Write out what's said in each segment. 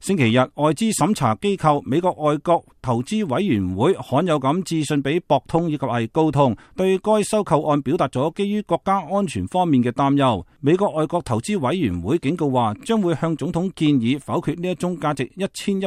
星期日，外資審查機構美國外國投資委員會罕有咁致信俾博通以及係高通，對該收購案表達咗基於國家安全方面嘅擔憂。美國外國投資委員會警告話，將會向總統建議否決呢一宗價值1170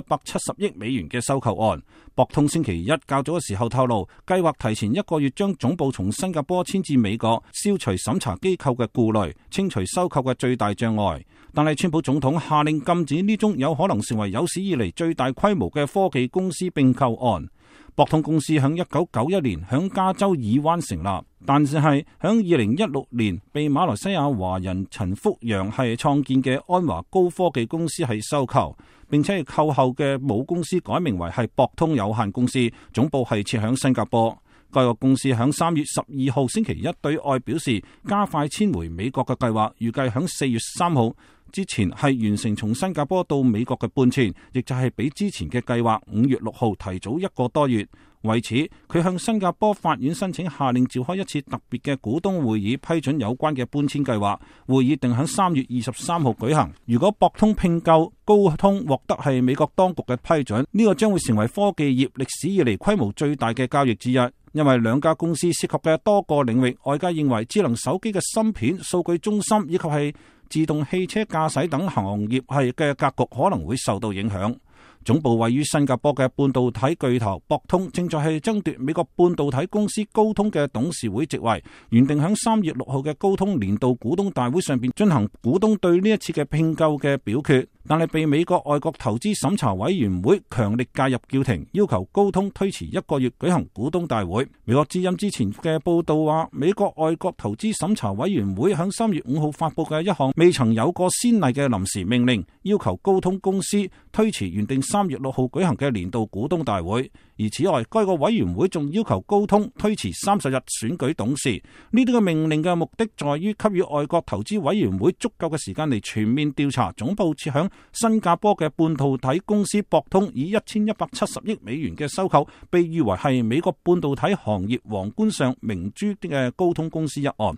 億美元嘅收購案。博通星期一較早嘅時候透露，計劃提前1個月將總部從新加坡遷至美國，消除審查機構嘅顧慮，清除收購嘅最大障礙。但係川普總統下令禁止呢宗有可能成為有史以嚟最大規模嘅科技公司併購案。博通公司喺1991年喺加州爾灣成立，但是係喺2016年被馬來西亞華人陳福陽係創建嘅安華高科技公司係收購，並且係購後嘅母公司改名為係博通有限公司，總部係設喺新加坡。該個公司喺3月12號星期一對外表示，加快遷回美國嘅計劃，預計喺4月3號之前係完成從新加坡到美國嘅搬遷，亦就係比之前嘅計劃5月6號提早1個多月。為此，佢向新加坡法院申請下令召開一次特別嘅股東會議，批准有關嘅搬遷計劃。會議定喺3月23號舉行。如果博通併購高通獲得係美國當局嘅批准，呢個將會成為科技業歷史以嚟規模最大嘅交易之一。因為兩家公司涉及嘅多個領域，外界認為智能手機嘅芯片、數據中心以及係自動汽車駕駛等行業係嘅格局可能會受到影響。總部位於新加坡嘅半導體巨頭博通正在係爭奪美國半導體公司高通嘅董事會席位，原定喺3月6號嘅高通年度股東大會上邊進行股東對呢一次嘅併購嘅表決，但係被美國外國投資審查委員會強力介入叫停，要求高通推遲1個月舉行股東大會。美國之音之前嘅報道話，美國外國投資審查委員會喺3月5號發佈嘅一項未曾有過先例嘅臨時命令，要求高通公司推遲原定3月6號舉行嘅年度股東大會。而此外，該個委員會仲要求高通推遲30日選舉董事。呢啲嘅命令嘅目的在於給予外國投資委員會足夠嘅時間嚟全面調查總部設響新加坡嘅半導體公司博通以1170億美元嘅收購，被譽為係美國半導體行業皇冠上明珠嘅高通公司一案。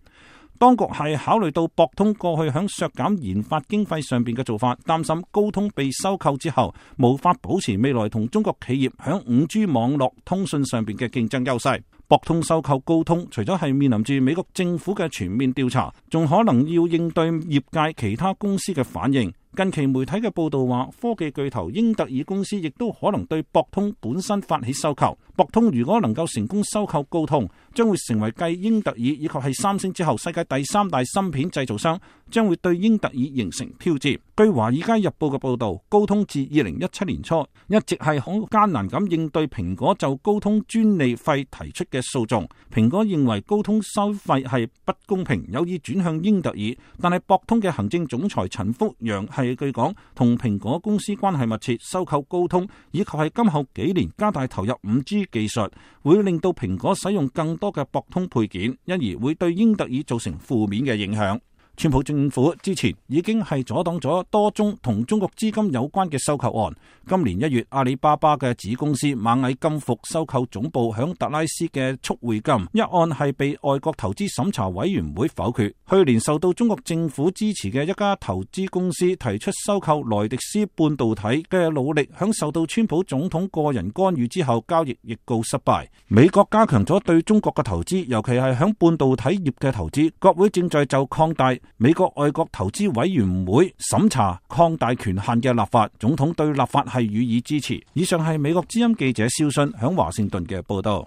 當局係考慮到博通過去響削減研發經費上邊嘅做法，擔心高通被收購之後無法保持未來同中國企業響 5G 網絡通訊上邊嘅競爭優勢。博通收購高通，除咗係面臨住美國政府嘅全面調查，仲可能要應對業界其他公司嘅反應。近期媒體嘅報道話，科技巨頭英特爾公司亦都可能對博通本身發起收購。博通如果能夠成功收購高通，將會成為繼英特爾以及係三星之後世界第3大芯片製造商，將會對英特爾形成挑戰。據華爾街日報嘅報道，高通自2017年初一直係好艱難咁應對蘋果就高通專利費提出嘅訴訟。蘋果認為高通收費係不公平，有意轉向英特爾，但係博通嘅行政總裁陳福陽係據講同蘋果公司關係密切，收購高通以及係今後幾年加大投入 5G 技術，會令到蘋果使用更多嘅博通配件，因而會對英特爾造成負面嘅影響。川普政府之前已經係阻擋咗多宗同中國資金有關嘅收購案。今年1月，阿里巴巴嘅子公司螞蟻金服收購總部響達拉斯嘅速匯金一案係被外國投資審查委員會否決。去年受到中國政府支持嘅一家投資公司提出收購萊迪斯半導體嘅努力，響受到川普總統個人干預之後，交易亦告失敗。美國加強咗對中國嘅投資，尤其係響半導體業嘅投資。國會正在就擴大美國外國投資委員會審查擴大權限嘅立法，總統對立法係予以支持。以上係美國之音記者肖信響華盛頓嘅報道。